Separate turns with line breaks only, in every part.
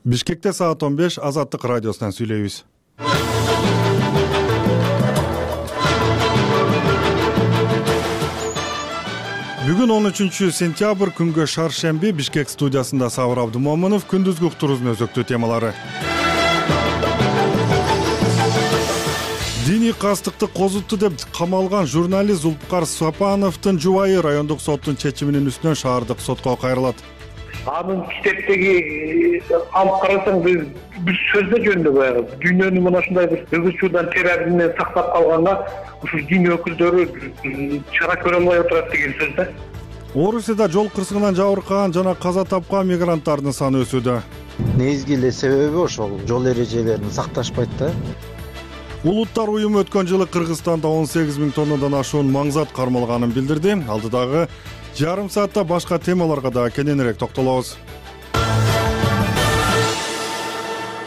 Бишкекте саат 15 Азаттык радиосунан сүйлөйбүз. Бүгүн 13-сентябрь күнгө шаршемби Бишкек студиясында Сабыр Абдымомунов күндүзгү уктуруубузун өзөктүү темалары. Диний кастыкты козутту деп камалган журналист Зулпукар Сапановдун жубайы райондук соттун чечиминин үстүнөн шаардык сотко кайрылат.
Анын китептеги алып карасаң бир сөздө жөнүндө баягы дүйнөнү мына ушундай бир ызычуудан терроризмден сактап калганга ушул дин өкүлдөрү чара көрө албай отурат деген сөз да.
Орусияда жол кырсыгынан жабыркаган жана каза тапкан мигранттардын саны өсүүдө.
Негизги эле себеби ошол жол эрежелерин сакташпайт да.
Улуттар уюму өткөн жылы Кыргызстанда 18 000 тоннадан ашуун маңзат кармалганын билдирди. Алдыдагы жарым саатта башка темаларга да кененирээк токтолобуз.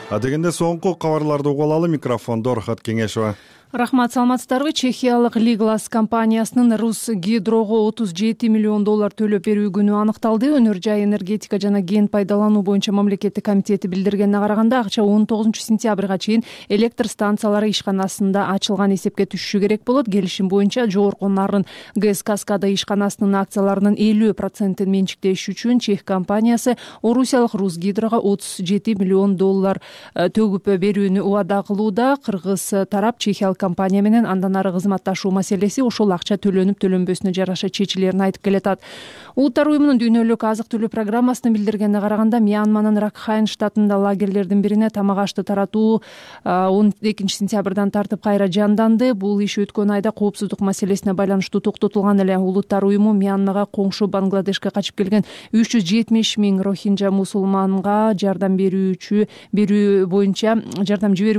Адегенде соңку кабарларды угуп алалы. Микрофондо Рахат Кеңешова.
Рахмат, саламатсыздарбы? Чехиялык Лиглас компаниясынын Русгидрого 37 миллион доллар төлөп берүү күнү аныкталды. Өнөр жай энергетика жана кен пайдалануу боюнча мамлекеттик комитети билдиргенине караганда, акча 19-сентябрга чейин электр станциялары ишканасында ачылган эсепке түшүшү керек болот. Келишим боюнча жогорку нарын ГЭС Каскада ишканасынын акцияларынын 50% менчиктеш үчүн чех компаниясы орусиялык Русгидрого 37 миллион доллар төгүп берүүнү убада кылууда. Кыргыз тарап чехиялык компания менен андан ары кызматташуу маселеси ошол акча төлөнүп төлөнбөсүнө жараша чечилерин айтып келатат. Улуттар уюмунун дүйнөлүк азык түлүк программасынын билдиргенине караганда, Мьянманын Ракхайн штатында лагерлердин бирине тамак ашты таратуу 12-сентябрдан тартып кайра жанданды. Бул иш өткөн айда коопсуздук маселесине байланыштуу токтотулган эле. Улуттар уюму Мьянмага коңшу Бангладешке качып келген 370 000 рохинжа мусулманга жардам жиберүү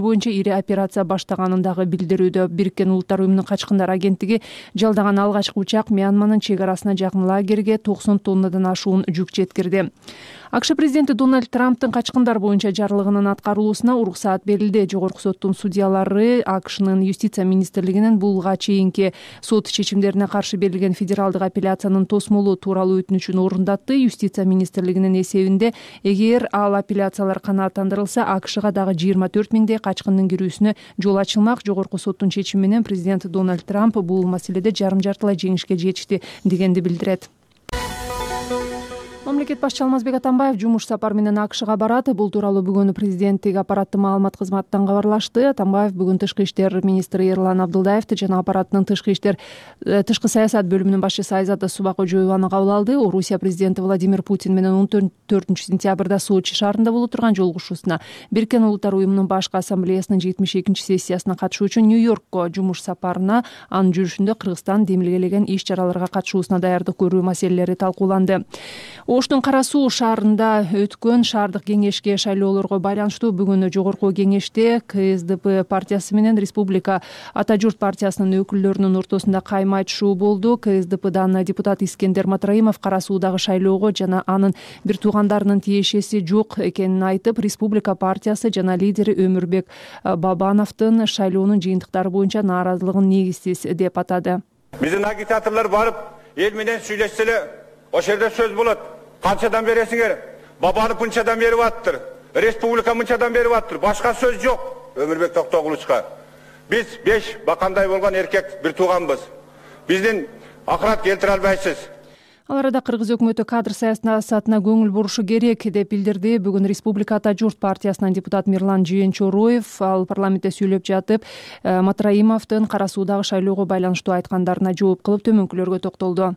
боюнча ири операция баштаганын дагы билдирүүдө. Бириккен Улуттар уюмунун качкындар агенттиги жалдаган алгачкы учак Мьянманын чек арасына жакын лагерге 90 тоннадан ашуун жүк жеткирди. АКШ президенти Дональд Трамптын качкындар боюнча жарлыгынын аткарылуусуна уруксаат берилди. Жогорку соттун судьялары АКШнын юстиция министрлигинин булга чейинки сот чечимдерине каршы берилген федералдык апелляциянын тосмолоо тууралуу өтүнүчүн орундатты. Юстиция министрлигинин эсебинде, эгер ал апелляциялар канааттандырылса, АКШга дагы 24 000 качкындын кирүүсүнө жол ачылмак. Жогорку соттун чечими менен президент Дональд Трамп бул маселеде жарым-жартылай жеңишке жетишти дегенди билдирет. Мамлекет башчы Алмазбек Атамбаев жумуш сапар менен АКШга барат. Бул тууралуу бүгүн президенттик аппараттын маалымат кызматынан кабарлашты. Атамбаев бүгүн тышкы иштер министри Эрлан Абдылдаевди жана аппараттын тышкы саясат бөлүмүнүн башчысы Айзада Субакожоеваны кабыл алды. Орусия президенти Владимир Путин менен 14-сентябрда Сочи шаарында боло турган жолугушуусуна, Бириккен Улуттар уюмунун башкы ассамблеясынын 72-сессиясына катышуу үчүн Нью-Йоркко жумуш сапарына, анын жүрүшүндө Кыргызстан демилгелеген иш-чараларга катышуусуна даярдык көрүү маселелери талкууланды. Оштун Кара Суу шаарында өткөн шаардык кеңешке шайлоолорго байланыштуу бүгүн жогорку кеңеште КСДП партиясы менен Республика Ата журт партиясынын өкүлдөрүнүн ортосунда кайма айтышуу болду. КСДПдан депутат Искендер Матраимов Кара Суудагы шайлоого жана анын бир туугандарынын тиешеси жок экенин айтып, Республика партиясы жана лидери Өмүрбек Бабановдун шайлоонун жыйынтыктары боюнча нааразылыгын негизсиз деп атады.
Биздин агитаторлор барып, эл менен сүйлөшсө эле ошол жерде сөз болот. Канчадан бересиңер? Бабанов мынчадан берип аттыр. Республика мынчадан берип аттыр. Башка сөз жок. Өмүрбек Токтогулучка. Биз 5 бакандай болгон эркек бир тууганбыз. Биздин акырат келтире албайсыз.
Ал арада Кыргыз өкмөтү кадр саясатына көңүл бурушу керек деп билдирди. Бүгүн Республика Ата журт партиясынан депутат Мирлан Жыйынчороев ал парламентте сүйлөп жатып, Матраимовдун Кара Суудагы шайлоого байланыштуу айткандарына жооп кылып төмөнкүлөргө токтолду.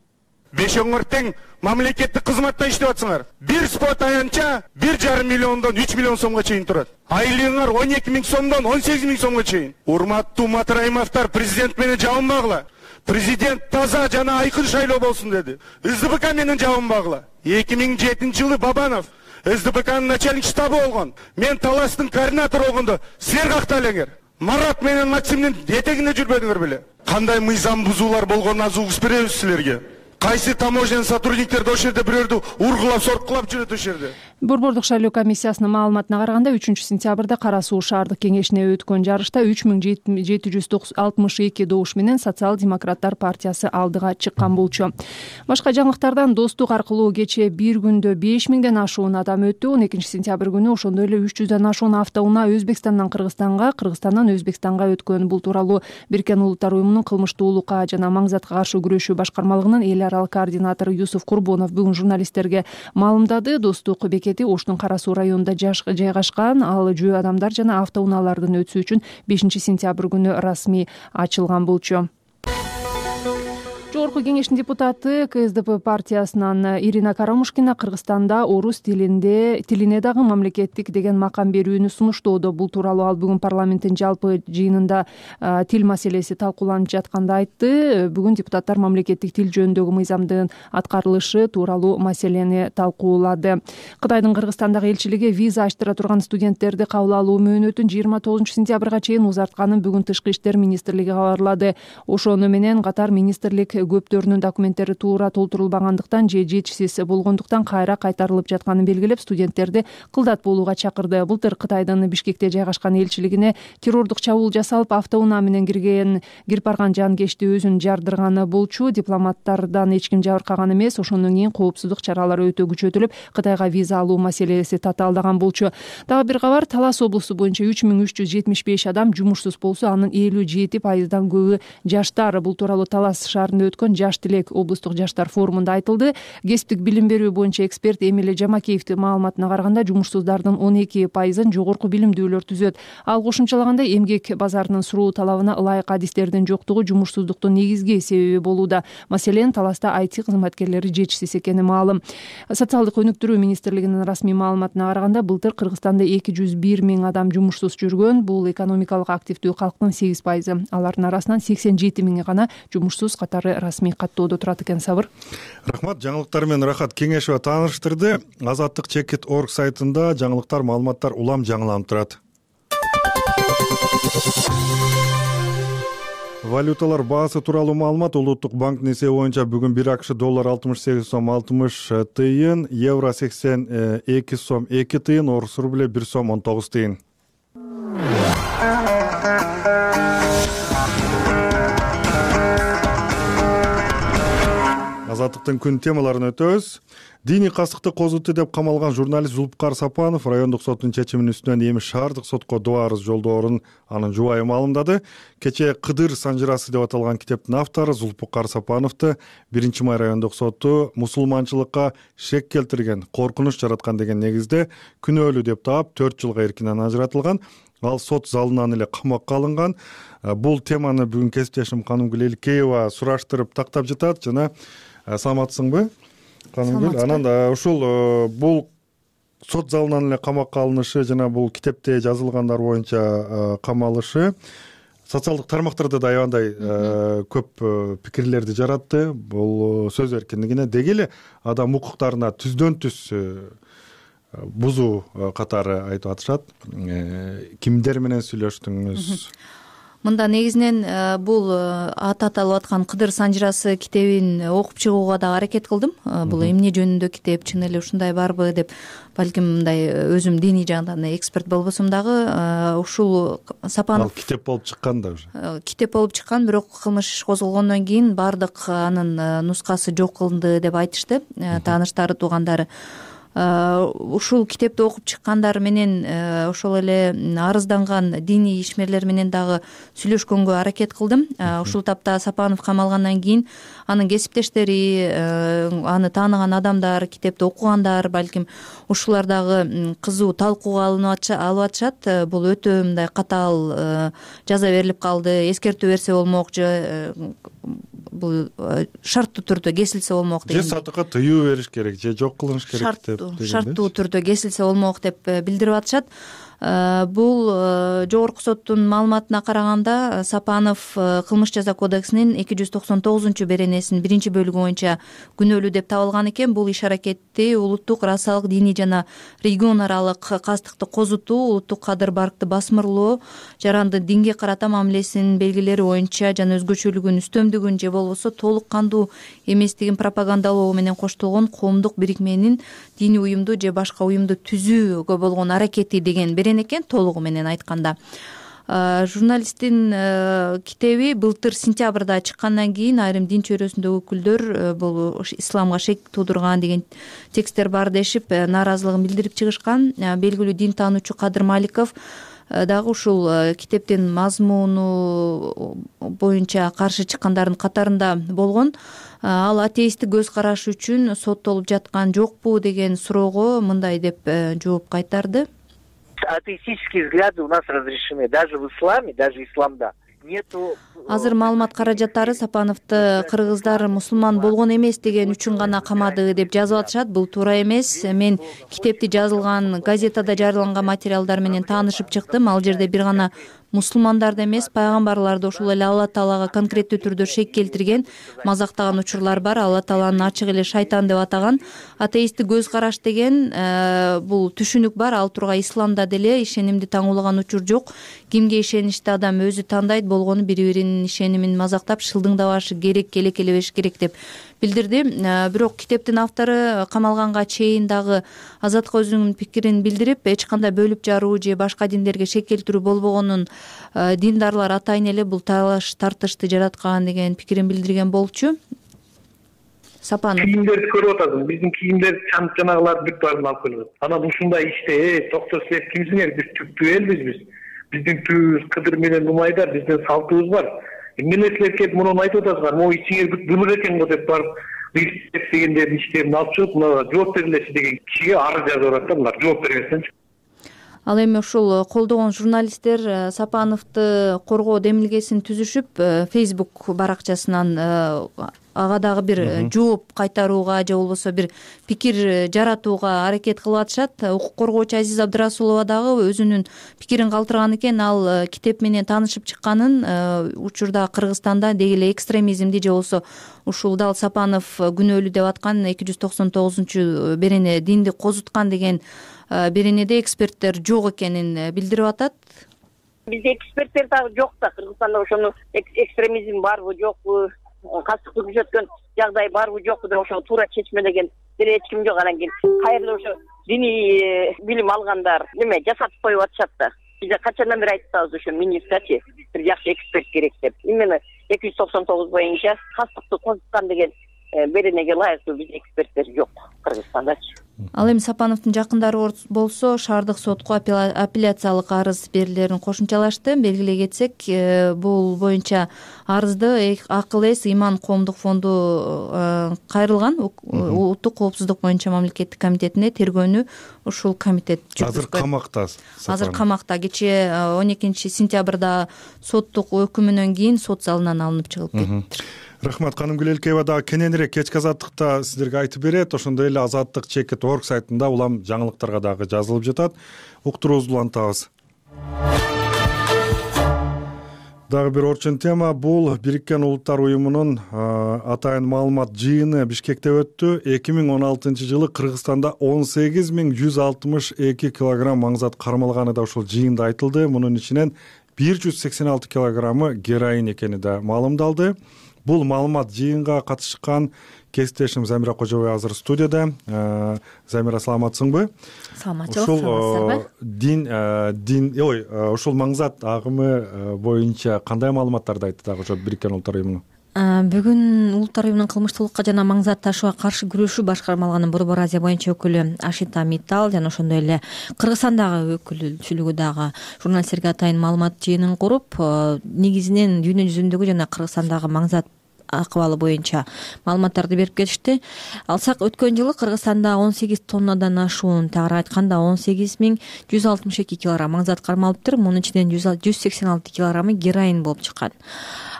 Бешоңор тең мамлекеттик кызматта иштеп атсыңар. Бир спот аянча 1,5 миллиондон 3 миллион сомго чейин турат. Айлыгыңар 12 000 сомдон 18 000 сомго чейин. Урматтуу Матраимовдор, президент менен жабынбагыла. Президент таза жана айкын шайлоо болсун деди. СДПК менен жабынбагыла. 2007-жылы Бабанов СДПКнын начальник штабы болгон. Мен Таластын координатору болгондо силер какта элеңер. Марат менен Максимдин этегинде жүрбөдүңөр беле? Кандай мыйзам бузуулар болгонун аз угуп беребиз силерге. Кайсы таможенный сотрудниктерди ошол жерде бирөөрдү ургулап, соркулап жүрөт ошол жерде.
Борбордук шайлоо комиссиясынын маалыматына караганда 3-сентябрда Кара Суу шаардык кеңешине өткөн жарышта 3762 добуш менен Социал-демократтар партиясы алдыга чыккан болчу. Башка жаңылыктардан Достук аркылуу кечээ бир күндө 5000ден ашуун адам өттү. 12-сентябрь күнү ошондой эле 300дөн ашуун автоунаа Өзбекстандан Кыргызстанга, Кыргызстандан Өзбекстанга өткөн. Бул тууралуу Бириккен Улуттар уюмунун кылмыштуулукка жана мааңзатка каршы күрөшүү башкармалыгынын эл аралык координатору Юсуф Курбонов бүгүн журналисттерге маалымдады. Достук бекети Оштун Кара Суу районунда жайгашкан. Ал жөө адамдар жана автоунаалардын өтүшү үчүн 5-сентябрь күнү расмий ачылган болчу. Жогорку кеңештин депутаты КСДП партиясынан Ирина Карамушкина Кыргызстанда орус тилине дагы мамлекеттик деген макам берүүнү сунуштоодо. Бул тууралуу ал бүгүн парламенттин жалпы жыйынында тил маселеси талкууланып жатканда айтты. Бүгүн депутаттар мамлекеттик тил жөнүндөгү мыйзамдын аткарылышы тууралуу маселени талкуулады. Кытайдын Кыргызстандагы элчилиги виза ачтыра турган студенттерди кабыл алуу мөөнөтүн 29-сентябрга чейин узартканын бүгүн Тышкы иштер министрлиги кабарлады. Ошону менен катар министрлик көптөрүнүн документтери туура толтурулбагандыктан же жетишсиз болгондуктан кайра кайтарылып жатканын белгилеп, студенттерди кылдат болууга чакырды. Былтыр Кытайдын Бишкекте жайгашкан элчилигине террордук чабуул жасалып, автоунаа менен кирип барган жанкечти өзүн жардырганы болчу. Дипломаттардан эч ким жабыркаган эмес. Ошондон кийин коопсуздук чаралары өтө күчөтүлүп, Кытайга виза алуу маселеси татаалдаган болчу. Дагы бир кабар, Талас облусу боюнча 3375 адам жумушсуз болсо, анын 57%дан көбү жаштар. Бул тууралуу Талас шаарында өткөн Жаш тилек облустук жаштар форумунда айтылды. Кесиптик билим берүү боюнча эксперт Эмиле Жамакеевдин маалыматына караганда, жумушсуздардын 12%-ын жогорку билимдүүлөр түзөт. Ал кошумчалагандай, эмгек базарынын суроо талабына ылайык адистердин жоктугу жумушсуздуктун негизги себеби болууда. Маселен, Таласта IT кызматкерлери жетишсиз экени маалым. Социалдык өнүктүрүү министрлигинин расмий маалыматына караганда, былтыр Кыргызстанда 201 миң адам жумушсуз жүргөн. Бул экономикалык активдүү калктын 8%. Алардын арасынан 87 миңи гана жумушсуз катары расмий каттоодо турат экен. Сабыр.
Рахмат. Жаңылыктар менен Рахат Кеңешова тааныштырды. Азаттык Чекит.org сайтында жаңылыктар, маалыматтар улам жаңыланып турат. Валюталар баасы тууралуу маалымат. Улуттук банктын эсеби боюнча бүгүн 1 АКШ доллар 68 сом 60 тыйын, евро 82 сом 2 тыйын, орус рубле 1 сом 19 тыйын. Азаттыктын күн темаларын өтөбүз. Диний кастыкты козуту деп камалган журналист Зулпукар Сапанов райондук соттун чечиминин үстүнөн эми шаардык сотко доо арыз жолдоорун анын жубайы маалымдады. Кечээ Кыдыр санжырасы деп аталган китептин автору Зулпукар Сапановду 1-май райондук соту мусулманчылыкка шек келтирген, коркунуч жараткан деген негизде күнөөлүү деп таап 4 жылга эркинен ажыратылган. Ал сот залынан эле камакка алынган. Бул теманы бүгүн кесиптешим Канымгүл Элкеева сураштырып тактап жатат. Жана саламатсыңбы, Канымгүл? Анан ушул бул сот залынан эле камакка алынышы жана бул китепте жазылгандар боюнча камалышы социалдык тармактарда да аябандай көп пикирлерди жаратты. Бул сөз эркиндигине, деги эле адам укуктарына түздөн түз бузуу катары айтып атышат. Кимдер менен сүйлөштүңүз?
Мында негизинен бул аталып аткан Кыдыр санжырасы китебин окуп чыгууга да аракет кылдым. Бул эмне жөнүндө китеп, чын эле ушундай барбы деп, балким мындай өзүм диний жагынан эксперт болбосом дагы ушул Сапанов
китеп болуп чыккан да уже.
Китеп болуп чыккан, бирок кылмыш иш козголгондон кийин баардык анын нускасы жок кылынды деп айтышты тааныштары, туугандары. Ушул китепти окуп чыккандар менен ошол эле арызданган диний ишмерлер менен дагы сүйлөшкөнгө аракет кылдым. Ушул тапта Сапанов камалгандан кийин анын кесиптештери, аны тааныган адамдар, китепти окугандар, балким ушулар дагы кызуу талкууга алып атышат. Бул өтө мындай катаал жаза берилип калды, эскертүү берсе болмок, же бул шарттуу түрдө кесилсе болмок деген.
Же сатыкка тыюу бериш керек, же жок кылыныш керек деп.
Шарттуу түрдө кесилсе болмок деп билдирип атышат. Бул жогорку соттун маалыматына караганда Сапанов кылмыш жаза кодексинин 299 беренесинин 1-бөлүгү боюнча күнөөлүү деп табылган экен. Бул иш аракетти улуттук, расалык, диний жана регион аралык кастыкты козутуу, улуттук кадыр баркты басмырлоо, жаранды динге карата мамилесинин белгилери боюнча жана өзгөчөлүгүн, үстөмдүгүн же болбосо болбосо толук кандуу эместигин пропагандалоо менен коштолгон коомдук бирикменин диний уюмду же башка уюмду түзүүгө болгон аракети деген берен экен. Толугу менен айтканда журналисттин китеби былтыр сентябрда чыккандан кийин айрым дин чөйрөсүндөгү өкүлдөр бул исламга шек туудурган деген тексттер бар дешип нааразылыгын билдирип чыгышкан. Белгилүү дин таануучу Кадыр Маликов дагы ушул китептин мазмуну боюнча каршы чыккандардын катарында болгон. Ал атеисттик көз карашы үчүн соттолуп жаткан жокпу деген суроого мындай деп жооп кайтарды.
Атеистические взгляды у нас разрешены. Даже в исламе, даже исламда нету.
Азыр маалымат каражаттары Сапановду кыргыздар мусулман болгон эмес деген үчүн гана камады деп жазып атышат. Бул туура эмес. Мен китепти жазылган газетада жарыяланган материалдар менен таанышып чыктым. Ал жерде бир гана мусулмандарды эмес, пайгамбарларды, ошол эле Алла Таалага конкреттүү түрдө шек келтирген, мазактаган учурлар бар. Алла Тааланы ачык эле шайтан деп атаган. Атеисттик көз караш деген бул түшүнүк бар. Ал тургай исламда деле ишенимди таңуулаган учур жок. Кимге ишеничти адам өзү тандайт, болгону бири-биринин ишенимин мазактап шылдыңдабашы керек, келекелебеш керек деп билдирди. Бирок китептин автору камалганга чейин дагы Азаттыкка өзүнүн пикирин билдирип, эч кандай бөлүп жаруу же башка диндерге шек келтирүү болбогонун, диндарлар атайын эле бул талаш тартышты жараткан деген пикирин билдирген болчу. Сапанов
кийимдерди көрүп атасың. Биздин кийимдер жанагылар бүт баарын алып келет. Анан ушундай иште токтор силер кимсиңер? Биз түптүү элбиз биз. Биздин түбүбүз Кыдыр менен Нумайдар, биздин салтыбыз бар. Эмне силер келип муну айтып атасыңар? Могу ичиңер бүт былыр экен го деп барып дегендердин иштерин алып чыгып, мына жооп берилечи деген кишиге арыз жазып атат да, булар жооп бербестенчи.
Ал эми ушул колдогон журналисттер Сапановду коргоо демилгесин түзүшүп, Facebook баракчасынан ага дагы бир жооп кайтарууга же болбосо бир пикир жаратууга аракет кылып атышат. Укук коргоочу Азиз Абдырасулова дагы өзүнүн пикирин калтырган экен. Ал китеп менен таанышып чыкканын, учурда Кыргызстанда деги эле экстремизмди же болбосо ушул дал Сапанов күнөөлүү деп аткан 299 берене динди козуткан деген беренеде эксперттер жок экенин билдирип атат.
Бизде эксперттер дагы жок да. Кыргызстанда ошону экстремизм барбы жокпу, кастыкты күчөткөн жагдай барбы жокпу деп ошо туура чечмелеген деле эч ким жок. Анан кийин кайрылып ошо диний билим алгандар неме жасатып коюп атышат да. Биз качандан бери айтып атабыз, ошо министрчи бир жакшы эксперт керек деп. Именно 299 боюнча кастыкты козуткан деген беренеге ылайыктуу бизде эксперттер жок Кыргызстандачы.
Ал эми Сапановдун жакындары болсо шаардык сотко апелляциялык арыз берилерин кошумчалашты. Белгилей кетсек, бул боюнча арызды Акыл эс Иман коомдук фонду кайрылган. Улуттук коопсуздук боюнча мамлекеттик комитетине тергөөнү ушул комитет жүргүзгөн.
Азыр камакта.
Азыр камакта. Кечээ 12 сентябрда соттук өкүмүнөн кийин сот залынан алынып чыгып кетти.
Рахмат. Канымгүл Элкеева дагы кененирээк кечки азаттыкта сиздерге айтып берет. Ошондой эле azattik.org сайтында улам жаңылыктарга дагы жазылып жатат. Уктурууңузду улантабыз. Дагы бир орчун тема бул Бириккен Улуттар уюмунун атайын маалымат жыйыны Бишкекте өттү. 2016-жылы Кыргызстанда 18162 килограмм маңзат кармалганы да ушул жыйында айтылды. Мунун ичинен 186 килограммы героин экени да маалымдалды. Бул маалымат жыйынга катышкан кесиптешим Замира Кожобай азыр студияда. Замира, саламатсыңбы?
Саламатчылык.
Ушул маңзат агымы боюнча кандай маалыматтарды айтты дагы ошо Бириккен Улуттар уюмунун?
Бүгүн Улуттар уюмунун кылмыштуулукка жана маңзат ташууга каршы күрөшүү башкармалыгынын Борбор Азия боюнча өкүлү Ашита Миттал жана ошондой эле Кыргызстандагы өкүлчүлүгү дагы журналисттерге атайын маалымат жыйынын куруп, негизинен дүйнө жүзүндөгү жана Кыргызстандагы маңзат акыбалы боюнча маалыматтарды берип кетишти. Алсак, өткөн жылы Кыргызстанда 18 тоннадан ашуун, тагыраак айтканда 18162 килограмм маңзат кармалыптыр. Мунун ичинен 186 килограммы героин болуп чыккан.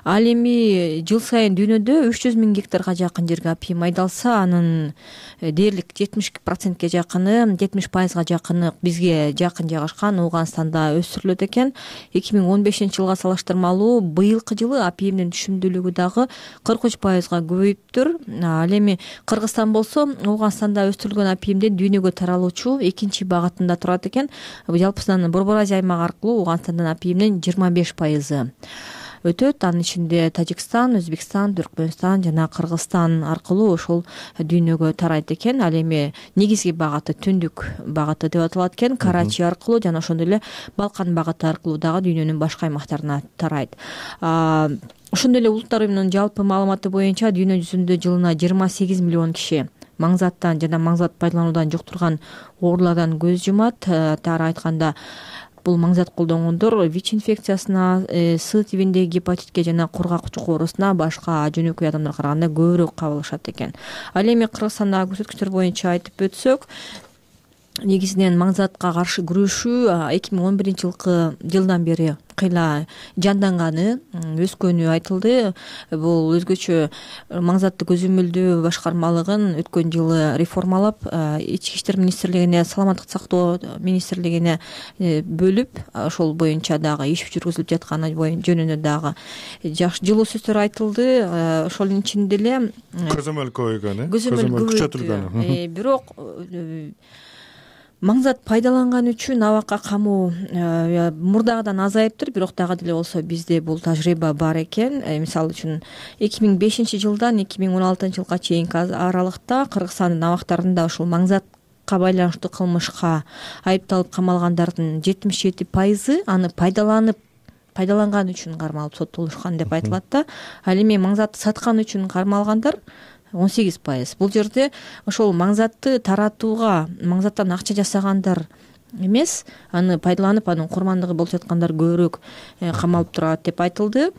Ал эми жыл сайын дүйнөдө 300 000 гектарга жакын жерге апийим айдалса, анын дээрлик 70%-ке жакыны, 70%га жакыны бизге жакын жайгашкан Ооганстанда өстүрүлөт экен. 2015-жылга салыштырмалуу быйылкы жылы апийимдин түшүмдүүлүгү дагы 43%га көбөйүптүр. Ал эми Кыргызстан болсо Ооганстанда өстүрүлгөн апийимдин дүйнөгө таралуучу экинчи багытында турат экен. Жалпысынан Борбор Азия аймагы аркылуу Ооганстандан апийимдин 25%. өтөт. Анын ичинде Тажикстан, Өзбекстан, Түркмөнстан жана Кыргызстан аркылуу ошол дүйнөгө тарайт экен. Ал эми негизги багыты түндүк багыты деп аталат экен. Карачи аркылуу жана ошондой эле Балкан багыты аркылуу дагы дүйнөнүн башка аймактарына тарайт. Ошондой эле Улуттар уюмунун жалпы маалыматы боюнча дүйнө жүзүндө жылына 28 миллион киши маңзаттан жана маңзат пайдалануудан жуктурган оорулардан көз жумат. Тары айтканда бул маңзат колдонгондор ВИЧ инфекциясына, С тибиндеги гепатитке жана кургак чук оорусуна башка жөнөкөй адамдарга караганда көбүрөөк кабылышат экен. Ал эми Кыргызстандагы көрсөткүчтөр боюнча айтып өтсөк, негизинен маңзатка каршы күрөшүү 2011 жылдан бери кыйла жанданганы, өскөнү айтылды. Бул өзгөчө маңзатты көзөмөлдөө башкармалыгын өткөн жылы реформалап, Ички иштер министрлигине, саламаттык сактоо министрлигине бөлүп, ошол боюнча дагы иш жүргүзүлүп жатканы жөнүндө дагы жакшы жылуу сөздөр айтылды. Ошонун ичинде эле
көзөмөл көбөйгөн,
көзөмөл күчөтүлгөн. Бирок маңзат пайдаланган үчүн абакка камуу мурдагыдан азайыптыр, бирок дагы деле болсо бизде бул тажрыйба бар экен. Мисалы үчүн 2005 жылдан 2016 жылга чейинки аралыкта Кыргызстандын абактарында ушул маңзатка байланыштуу кылмышка айыпталып камалгандардын 77% аны пайдаланган үчүн кармалып соттолушкан деп айтылат да. Ал эми маңзатты саткан үчүн кармалгандар 18%. Бул жерде ошол маңзатты таратууга, маңзаттан акча жасагандар эмес, аны пайдаланып, анын курмандыгы болуп жаткандар көбүрөөк камалып турат деп айтылды.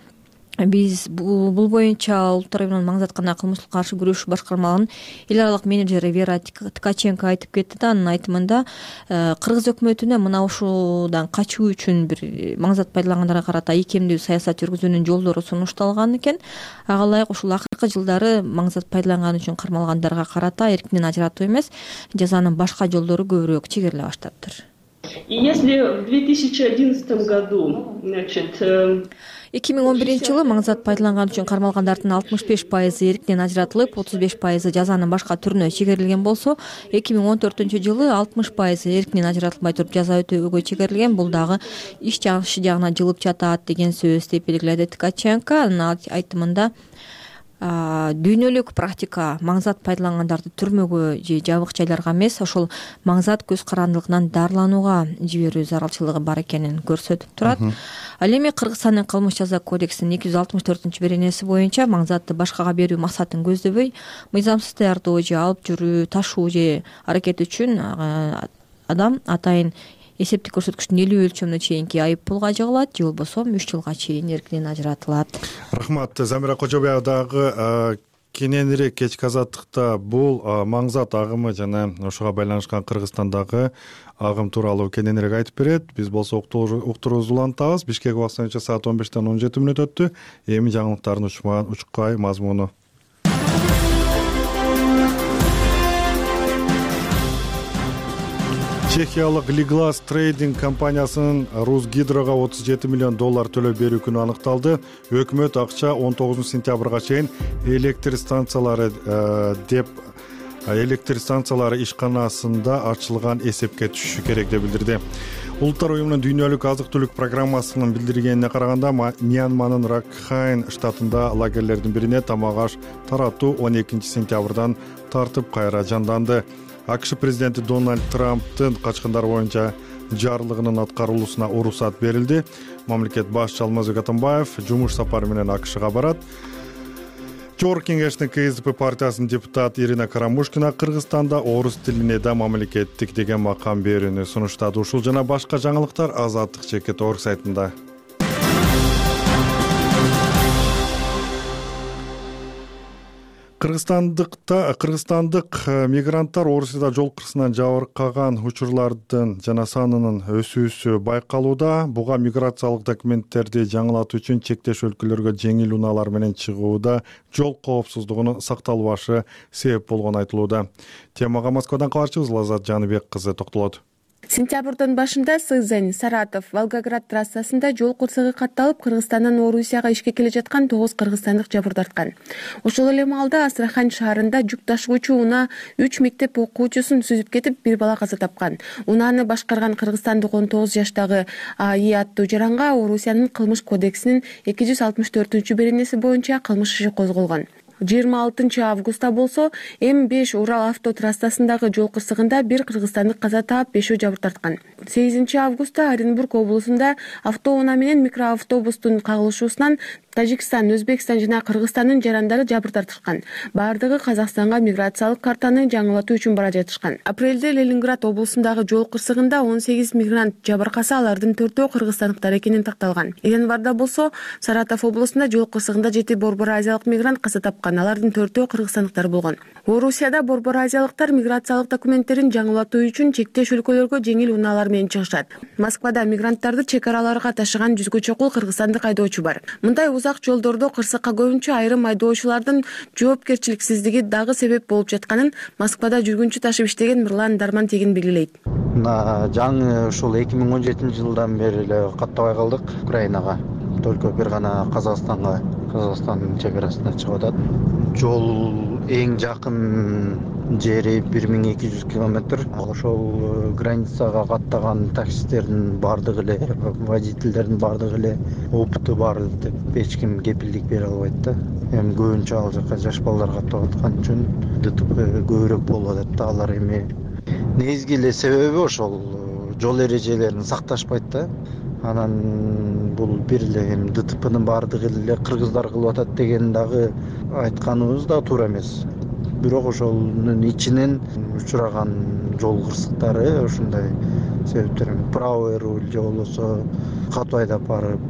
Биз бул боюнча Улуттар уюмунун маңзатка кылмыштыкка каршы күрөшүү башкармалыгынын эл аралык менеджери Вера Ткаченко айтып кетти да. Анын айтымында Кыргыз өкмөтүнө мына ушудан качуу үчүн бир маңзат пайдалангандарга карата ийкемдүү саясат жүргүзүүнүн жолдору сунушталган экен. Ага ылайык ушул акыркы жылдары маңзат пайдаланган үчүн кармалгандарга карата эркинен ажыратуу эмес, жазанын башка жолдору көбүрөөк чегериле баштаптыр.
Если в 2011 году,
2011 жылы маңзат пайдаланган үчүн кармалгандардын 65% эркинен ажыратылып, 35% жазанын башка түрүнө чегерилген болсо, 2014 жылы 60% эркинен ажыратылбай туруп жаза өтөөгө чегерилген. Бул дагы иш жагына жылып жатат деген сөз деп белгиледи Ткаченко. Анын айтымында дүйнөлүк практика маңзат пайдалангандарды түрмөгө же жабык жайларга эмес, ошол маңзат көз карандылыгынан дарыланууга жиберүү зарылчылыгы бар экенин көрсөтүп турат. Ал эми Кыргызстандын кылмыш жаза кодексинин 264-беренеси боюнча маңзатты башкага берүү максатын көздөбөй, мыйзамсыз даярдоо же алып жүрүү, ташуу же аракет үчүн адам атайын эсептик көрсөткүчтүн 50 өлчөмүнө чейинки айып пулга жыгылат, же болбосо 3 жылга чейин эркинен ажыратылат.
Рахмат. Замира Кожобаева дагы кененирээк кечки азаттыкта бул маңзат агымы жана ошого байланышкан Кыргызстандагы агым тууралуу кененирээк айтып берет. Биз болсо уктуруубузду улантабыз. Бишкек убакыты боюнча саат 15-17 өттү. Эми жаңылыктардын учкай мазмуну. Чехиялык Liglas Trading компаниясынын Русгидрого $37 миллион төлөп берүү күнү аныкталды. Өкмөт акча 19 сентябрга чейин электр станциялары ишканасында ачылган эсепке түшүшү керек деп билдирди. Улуттар уюмунун дүйнөлүк азык-түлүк программасынын билдиргенине караганда, Мьянманын Ракхайн штатында лагерлердин бирине тамак аш таратуу 12 сентябрдан тартып кайра жанданды. АКШ президенти Дональд Трамптын качкындар боюнча жарлыгынын аткарылуусуна уруксат берилди. Мамлекет башчысы Алмазбек Атамбаев жумуш сапары менен АКШга барат. Жогорку кеңештин КСДП партиясынын депутаты Ирина Карамушкина Кыргызстанда орус тилине да мамлекеттик деген макам берүүнү сунуштады. Ушул жана башка жаңылыктар Азаттык.org сайтында. Кыргызстандык мигранттар Орусияда жол кырсынан жабыркаган учурлардын жана санынын өсүүсү байкалууда. Буга миграциялык документтерди жаңылатуу үчүн чектеш өлкөлөргө жеңил унаалар менен чыгууда жол коопсуздугунун сакталбашы себеп болгону айтылууда. Темага Москвадан кабарчыбыз Лаззат Жаныбек кызы токтолот.
Сентябрдын башында Сызань, Саратов, Волгоград трассасында жол кырсыгы катталып, Кыргызстандан Орусияга ишке келе жаткан 9 кыргызстандык жабыр тарткан. Ошол эле маалда Астрахань шаарында жүк ташуучу унаа 3 мектеп окуучусун сүзүп кетип, бир бала каза тапкан. Унааны башкарган кыргызстандык 19 жаштагы АИ аттуу жаранга Орусиянын кылмыш кодексинин 264-беренеси боюнча кылмыш иши козголгон. 26 августта болсо М5 Урал авто трассасындагы жол кырсыгында бир кыргызстандык каза таап, 5 жабыр тарткан. 8 августта Оренбург облусунда автоунаа менен микроавтобустун кагылышуусунан Тажикстан, Өзбекстан жана Кыргызстандын жарандары жабыр тартышкан. Бардыгы Казакстанга миграциялык картаны жаңылатуу үчүн бара жатышкан. Апрелде Ленинград облусундагы жол кырсыгында 18 мигрант жабыркаса, алардын 4-өө кыргызстандыктар экени такталган. Январда болсо Саратов облусунда жол кырсыгында 7 Борбор азиялык мигрант каза тапкан. Алардын 4-өө кыргызстандыктар болгон. Орусияда Борбор азиялыктар миграциялык документтерин жаңылатуу үчүн чектеш өлкөлөргө жеңил унаалар менен чыгышат. Москвада мигранттарды чек араларга ташыган 100гө чукул кыргызстандык айдоочу бар. Мындай узак жолдордо кырсыкка көбүнчө айрым айдоочулардын жоопкерчиликсиздиги дагы себеп болуп жатканын Москвада жүргүнчү ташып иштеген Мырлан Дармантегин белгилейт.
Жаңы ушул 2017-жылдан бери эле каттабай калдык Украинага. Только бир гана Казакстандын чек арасына чыгып атат. Жол эң жакын жери 1200 километр. Ошол границага каттаган таксистердин бардыгы эле, водительдердин бардыгы эле опыты бар деп эч ким кепилдик бере албайт да. Эми көбүнчө ал жака жаш балдар каттап аткан үчүн ДТП көбүрөөк болуп атат да. Алар эми негизги эле себеби ошол жол эрежелерин сакташпайт да. Анан бул бир эле ДТПнын бардыгы эле кыргыздар кылып атат деген дагы айтканыбыз да туура эмес. Бирок ошонун ичинен учураган жол кырсыктары ушундай себептер, правый руль же болбосо катуу айдап барып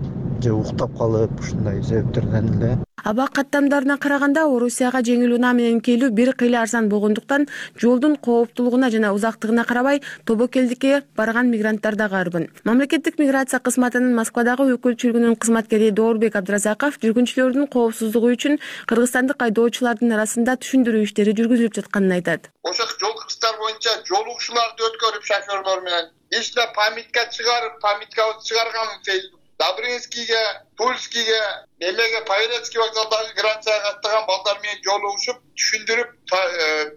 же уктап калып, ушундай себептерден эле.
Аба каттамдарына караганда Орусияга жеңил унаа менен келүү бир кыйла арзан болгондуктан жолдун кооптуулугуна жана узактыгына карабай тобокелдикке барган мигранттар дагы арбын. Мамлекеттик миграция кызматынын Москвадагы өкүлчүлүгүнүн кызматкери Доорбек Абдразаков жүргүнчүлөрдүн коопсуздугу үчүн кыргызстандык айдоочулардын арасында түшүндүрүү иштери жүргүзүлүп жатканын айтат.
Ошол жол кырсыктар боюнча жол угушууларды өткөрүп шофёрлор менен ичине памятка чыгарып, памяткабызды чыгарган Facebook Добрынскийге, Тульскийге, эмеге Павелецкий вокзалдагы границага каттаган балдар менен жол угушуп, түшүндүрүп,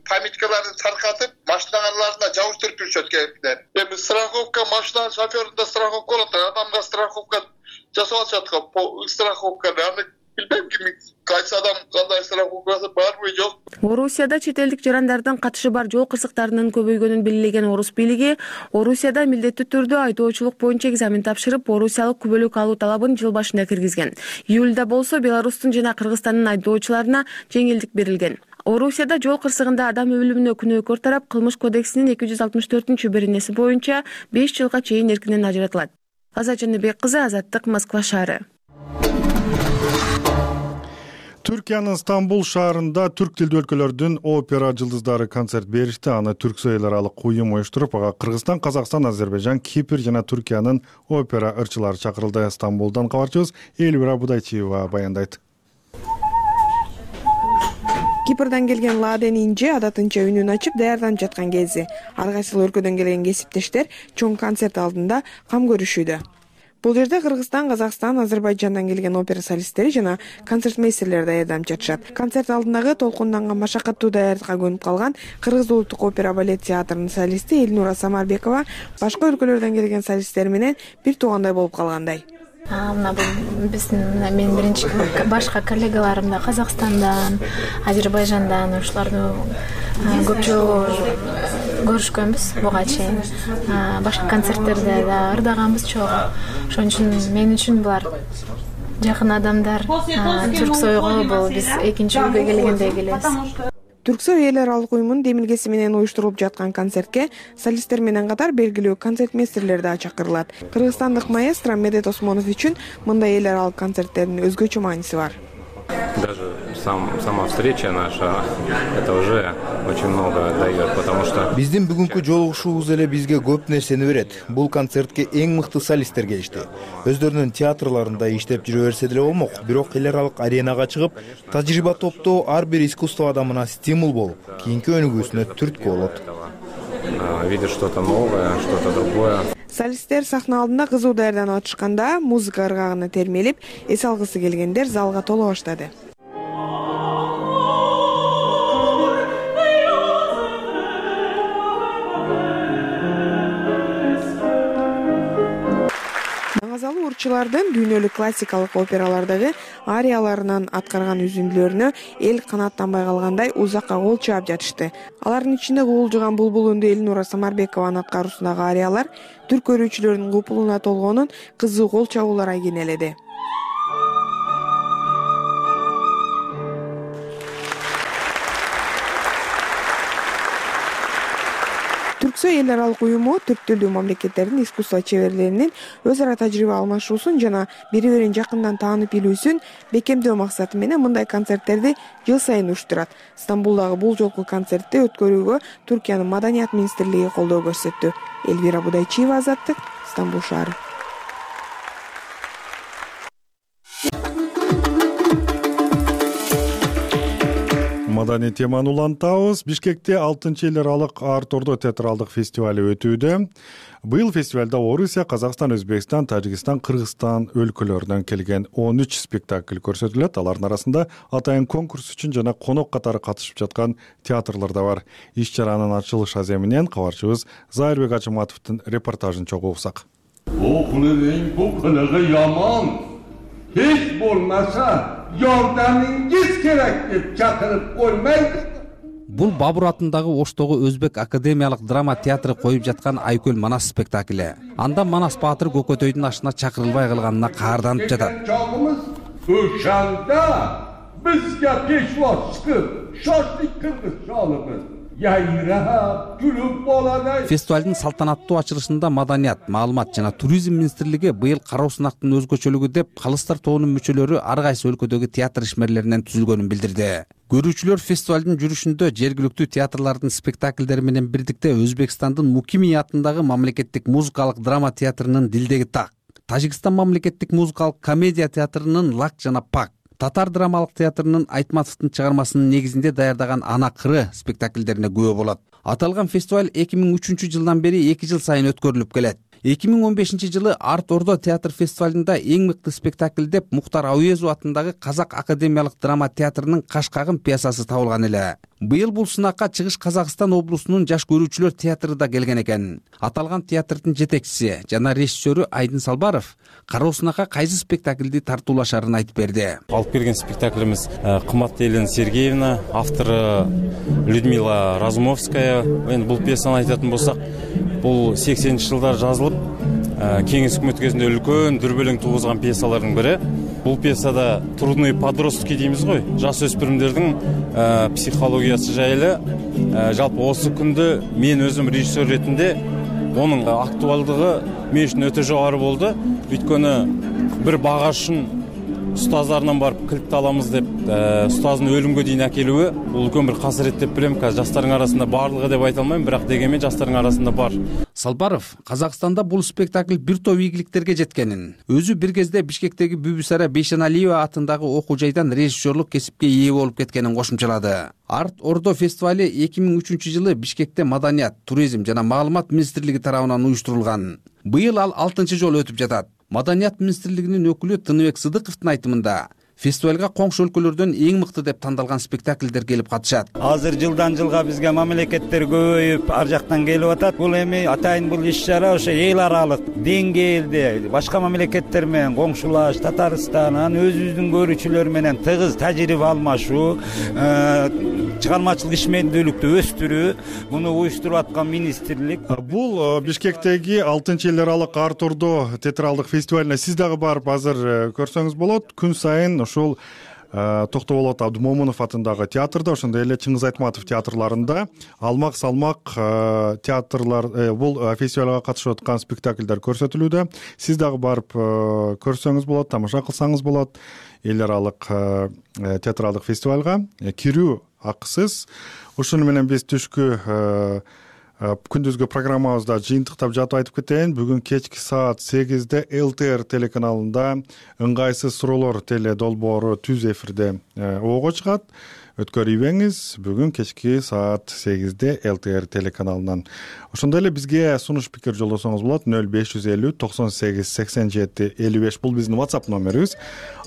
памяткаларды таркатып, машиналарына жабыштырып жүрүшөт кээптер. Эми страховка, машинанын шофёрунда страховка болот, адамга страховка жасап атышат го, страховканы. Аны билбейм кайсы адам кандай страховкасы барбы жок.
Орусияда чет элдик жарандардын катышы бар жол кырсыктарынын көбөйгөнүн белгилеген Орус бийлиги Орусияда милдеттүү түрдө айдоочулук боюнча экзамен тапшырып, орусиялык күбөлүк алуу талабын жыл башында киргизген. Июлда болсо Беларустун жана Кыргызстандын айдоочуларына жеңилдик берилген. Орусияда жол кырсыгында адам өлүмүнө күнөөкөр тарап кылмыш кодексинин 264-беренеси боюнча 5 жылга чейин эркинен ажыратылат. Азат Жаныбек кызы, Азаттык, Москва шаары.
Түркиянын Стамбул шаарында түрк тилдүү өлкөлөрдүн опера жылдыздары концерт беришти. Аны түрксой эл аралык уюм уюштуруп, ага Кыргызстан, Казакстан, Азербайжан, Кипр жана Түркиянын опера ырчылары чакырылды. Стамбулдан кабарчыбыз Элвира Будайчиева баяндайт.
Кипрдан келген Ладен Инжи адатынча үнүн ачып даярданып жаткан кези. Ар кайсы өлкөдөн келген кесиптештер чоң концерт алдында кам көрүшүүдө. Бул жерде Кыргызстан, Казакстан, Азербайжандан келген опера солисттери жана концертмейстерлер даярданып жатышат. Концерт алдындагы толкунданган машакаттуу даярдыкка көнүп калган Кыргыз улуттук опера балет театрынын солисти Элнура Самарбекова башка өлкөлөрдөн келген солисттер менен бир туугандай болуп калгандай.
Мына бул мен биринчи башка коллегаларым да Казакстандан, Азербайжандан ушуларды көпчү көрүшкөнбүз буга чейин. Башка концерттерде да ырдаганбыз чогуу. Ошон үчүн мен үчүн булар жакын адамдар. Түрксойго бул биз экинчи үйгө келгендей келебиз.
Түрксой эл аралык уюмунун демилгеси менен уюштурулуп жаткан концертке солисттер менен катар белгилүү концертмейстерлер да чакырылат. Кыргызстандык маэстро Медет Осмонов үчүн мындай эл аралык концерттердин өзгөчө мааниси бар.
Даже сама встреча наша это уже очень много дает, потому что
биздин бүгүнкү жолугушуубуз эле бизге көп нерсени берет. Бул концертке эң мыкты солисттер келишти. Өздөрүнүн театрларында иштеп жүрө берсе деле болмок, бирок эл аралык аренага чыгып, тажрыйба топтоо ар бир искусство адамына стимул болуп, кийинки өнүгүүсүнө түрткү болот.
видишь что-то новое, что-то другое.
Солисттер сахна алдында кызуу даярданып атышканда музыка ыргагына термелип, эс алгысы келгендер залга толо баштады. Маңазалуу урчулардын дүйнөлүк классикалык опералардагы арияларынан аткарган үзүндүлөрүнө эл канааттанбай калгандай узакка кол чаап жатышты. Алардын ичинде куулжуган булбул үндүү Элнура Самарбекованын аткаруусундагы ариялар түрк көрүүчүлөрүнүн купулуна толгонун кызуу кол чабуулар айгинеледи. Түрксой эл аралык уюму түрк тилдүү мамлекеттердин искусство чеберлеринин өз ара тажрыйба алмашуусун жана бири бирин жакындан таанып билүүсүн бекемдөө максаты менен мындай концерттерди жыл сайын уюштурат. Стамбулдагы бул жолку концертти өткөрүүгө Түркиянын Маданият министрлиги колдоо көрсөттү. Элвира Будайчиева, Азаттык, Стамбул шаары.
Маданий теманы улантабыз. Бишкекте 6-эл аралык Арт-Ордо театралдык фестивали өтүүдө. Быйыл фестивалда Орусия, Казакстан, Өзбекстан, Тажикстан, Кыргызстан өлкөлөрүнөн келген 13 спектакль көрсөтүлөт. Алардын арасында атайын конкурс үчүн жана конок катары катышып жаткан театрлар да бар. Иш-чаранын ачылыш аземинен кабарчыбыз Зайырбек Ачыматовдун репортажын чогуу уксак.
Окулуң бу кылыгы яман. Hiç болмаса жардамыңыз керек деп чакырып коймайды.
Бул Бабур атындагы Оштогу Өзбек академиялык драма театры коюп жаткан Айкөл Манас спектакли. Анда Манас баатыр Көкөтөйдүн ашына чакырылбай калганына каарданып жатат.
Чагымыз ошанда бизге пешвоз чыгып, шашлык кыргыз чалыбыз.
Фестивалдын салтанаттуу ачылышында Маданият, маалымат жана туризм министрлиги быйыл кароо сынактын өзгөчөлүгү деп калыстар тобунун мүчөлөрү ар кайсы өлкөдөгү театр ишмерлеринен түзүлгөнүн билдирди. Көрүүчүлөр фестивалдын жүрүшүндө жергиликтүү театрлардын спектакльдери менен бирдикте Өзбекстандын Мукими атындагы мамлекеттик музыкалык драма театрынын Дилдеги так, Тажикстан мамлекеттик музыкалык комедия театрынын Лак жана Пак, Татар драмалык театрынын Айтматовдун чыгармасынын негизинде даярдаган Ана кыры спектакльдерине күбө болот. Аталган фестиваль 2003 жылдан бери 2 жыл сайын өткөрүлүп келет. 2015 жылы Арт-Ордо театр фестивалында эң мыкты спектакль деп Мухтар Ауезов атындагы Казак академиялык драма театрынын Кашкагын пьесасы табылган эле. Быйыл бул сынакка Чыгыш Казакстан облусунун жаш көрүүчүлөр театры да келген экен. Аталган театрдын жетекчиси жана режиссеру Айдын Салбаров кароо сынакка кайсы спектакльди тартуулашарын айтып берди.
Алып келген спектаклimiz кымбаттуу Елена Сергеевна, автору Людмила Разумовская. Эми бул пьесаны айтатын болсак, бул 80-жылдар жазылып, кеңес өкмөтү кезинде үлкөн дүрбөлөң тугузган пьесалардын бири. Бул пьесада трудные подростки деймиз ғой, жаш өспүрүмдөрдүн психологиясы жайлы. Жалпы осы күндө мен өзүм режиссер ретинде онун актуалдыгы мен үчүн өтө жогору болду. Өйткөнү бир багашын ұстаздарынан барып кілтті аламыз деп, ұстаздың өлімге дейін әкелуі, бұл үлкен бір қасірет деп білем. Қазір жастардың арасында барлығы деп айта алмаймын, бірақ дегенмен жастардың арасында бар.
Салбаров Казакстанда бул спектакль бир топ ийгиликтерге жеткенин, өзү бир кезде Бишкектеги Бүбүсара Бейшеналиева атындагы окуу жайдан режиссерлук кесипке ээ болуп кеткенин кошумчалады. Арт-Ордо фестивали 2003 жылы Бишкекте Маданият, туризм жана маалымат министрлиги тарабынан уюштурулган. Быйыл ал 6-чы жолу өтүп жатат. Маданият министрлигинин өкүлү Тыныбек Сыдыковдун айтымында фестивалга коңшу өлкөлөрдөн эң мыкты деп тандалган спектакльдер келип катышат.
Азыр жылдан жылга бизге мамлекеттер көбөйүп, ар жактан келип атат. Бул эми атайын бул иш-чара ошо эл аралык деңгээлде башка мамлекеттер менен коңшулаш, Татарстан, өзүбүздүн көрүүчүлөр менен тыгыз тажрыйба алмашуу, чыгармачылык ишмердүүлүктү өстүрүү, муну уюштуруп аткан министрлик.
Бул Бишкектеги 6-эл аралык Арт-Ордо театралдык фестивалине сиз дагы барып азыр көрсөңүз болот. Күн сайын ушул Токтоболот Абдымомунов атындагы театрда, ошондой эле Чыңгыз Айтматов театрларында алмак-салмак театрлар бул фестивалга катышып аткан спектакльдер көрсөтүлүүдө. Сиз дагы барып көрсөңүз болот, тамаша кылсаңыз болот. Эл аралык театралдык фестивалга кирүү акысыз. Ушуну менен биз түшкү күндүзгү программабызда жыйынтыктап жатып айтып кетейин. Бүгүн кечки саат 8-де ЛТР телеканалында ыңгайсыз суроолор теле долбоору түз эфирде ого чыгат. өткөрүбеңиз бүгүн кечки саат 8-де ЛТР телеканалынан. Ошондой эле бизге сунуш пикир жолдосоңуз болот 0550 98 87 55. Бул биздин WhatsApp номерибиз.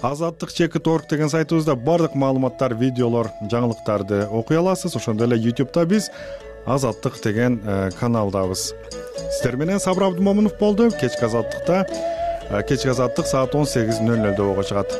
Азаттык.org деген сайтыбызда бардык маалыматтар, видеолор, жаңылыктарды окуй аласыз. Ошондой эле YouTube'да биз Азаттык деген каналдабыз. Сиздер менен Сабыр Абдымомунов болду. Кечки Азаттыкта кечки Азаттык саат 18:00 болго чыгат.